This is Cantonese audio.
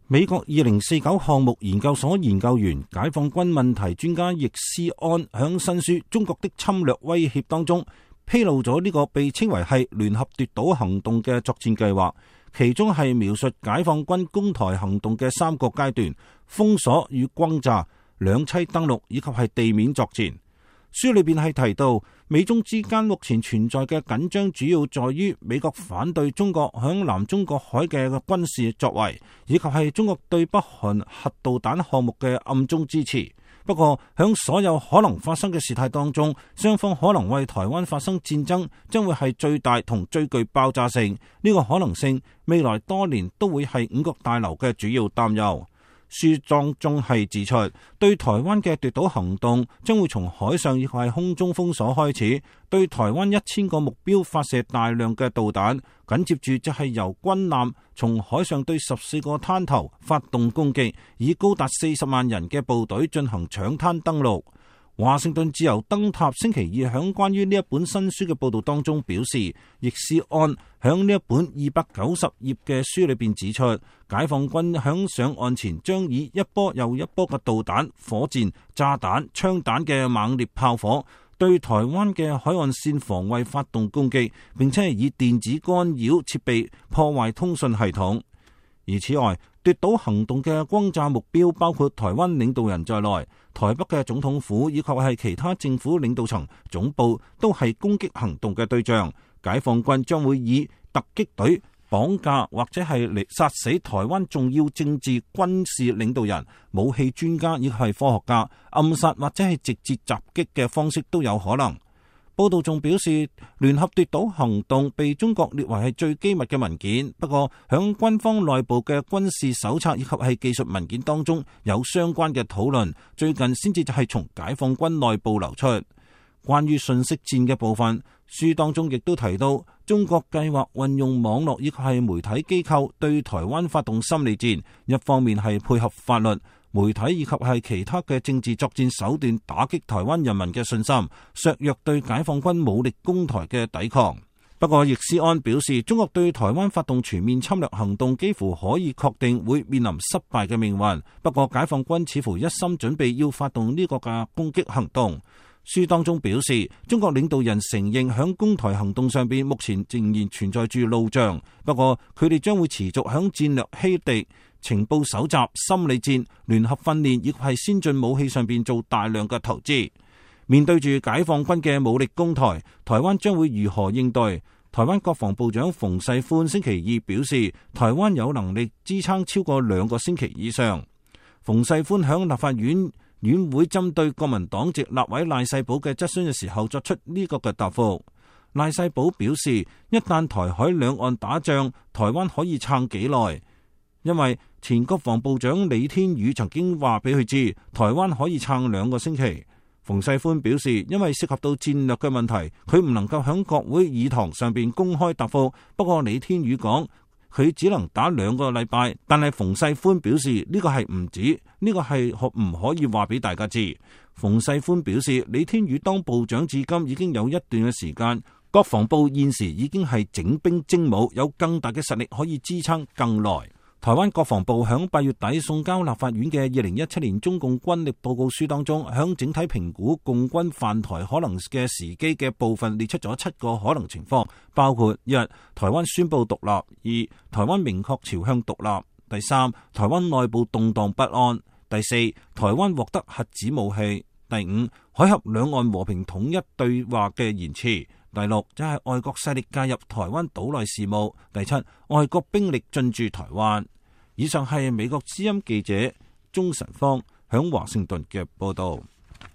美國2049項目研究所研究員、解放軍問題專家易思安響新書《中國的侵略威脅》當中披露咗呢個被稱為係聯合奪島行動嘅作戰計劃，其中係描述解放軍攻台行動嘅3個階段：封鎖與轟炸、兩棲登陸以及係地面作戰。書裏邊係提到，美中之間目前存在嘅緊張主要在於美國反對中國響南中國海嘅軍事作為，以及係中國對北韓核導彈項目嘅暗中支持。不過響所有可能發生嘅事態當中，雙方可能為台灣發生戰爭將會係最大同最具爆炸性。呢個可能性未來多年都會係五角大樓嘅主要擔憂。書當中係指出，對台灣嘅奪島行動將會從海上亦係空中封鎖開始，對台灣1000個目標發射大量嘅導彈，緊接住就係由軍艦從海上對14個灘頭發動攻擊，以高達40萬人嘅部隊進行搶灘登陸。華盛頓自由燈塔星期二響關於呢一本新書嘅報道當中表示，易思安響呢一本290頁嘅書裏邊指出，解放軍響上岸前將以一波又一波嘅導彈、火箭、炸彈、槍彈嘅猛烈炮火對台灣嘅海岸線防衛發動攻擊，並且係以電子干擾設備破壞通訊系統。而此外，奪島行動嘅轟炸目標包括台灣領導人在內，台北嘅總統府以及係其他政府領導層總部都係攻擊行動嘅對象。解放軍將會以突擊隊綁架或者係嚟殺死台灣重要政治軍事領導人、武器專家以及係科學家，暗殺或者係直接襲擊嘅方式都有可能。報道仲表示，聯合奪島行動被中國列為係最機密嘅文件，不過響軍方內部嘅軍事手冊以及係技術文件當中有相關嘅討論，最近先至就係從解放軍內部流出。關於信息戰嘅部分，書當中亦都提到，中國計劃運用網絡以及係媒體機構對台灣發動心理戰，一方面係配合法律、媒體以及係其他嘅政治作戰手段打擊台灣人民嘅信心，削弱對解放軍武力攻台嘅抵抗。不過易思安表示，中國對台灣發動全面侵略行動幾乎可以確定會面臨失敗嘅命運。不過解放軍似乎一心準備要發動呢個嘅攻擊行動。書當中表示，中國領導人承認響攻台行動上邊目前仍然存在住路障，不過佢哋將會持續響戰略欺敵、情報搜集、心理戰、聯合訓練以及係先進武器上邊做大量嘅投資。面對住解放軍嘅武力攻台，台灣將會如何應對？台灣國防部長馮世寬星期二表示，台灣有能力支撐超過2個星期以上。馮世寬響立法院院會針對國民黨籍立委賴世寶嘅質詢嘅時候作出呢個嘅答覆。賴世寶表示，一旦台海兩岸打仗，台灣可以撐幾耐？因為前國防部長李天宇曾經話俾佢知，台灣可以撐2個星期。馮世寬表示，因為涉及到戰略嘅問題，佢唔能夠響國會議堂上邊公開答覆。不過李天宇講，佢只能打2個禮拜，但係馮世寬表示呢個係唔止，呢個係唔可以話俾大家知。馮世寬表示，李天宇當部長至今已經有一段嘅時間，國防部現時已經係整兵精武，有更大嘅實力可以支撐更耐。台灣國防部響8月底送交立法院嘅2017年中共軍力報告書當中，響整體評估共軍犯台可能嘅時機嘅部分列出咗7個可能情況，包括1、台灣宣布獨立；2、台灣明確朝向獨立；第3、台灣內部動盪不安；第4、台灣獲得核子武器；第5、海峽兩岸和平統一對話嘅延遲；第6就係外國勢力介入台灣島內事務；第7外國兵力進駐台灣。以上係美國之音記者鍾晨芳響華盛頓嘅報道。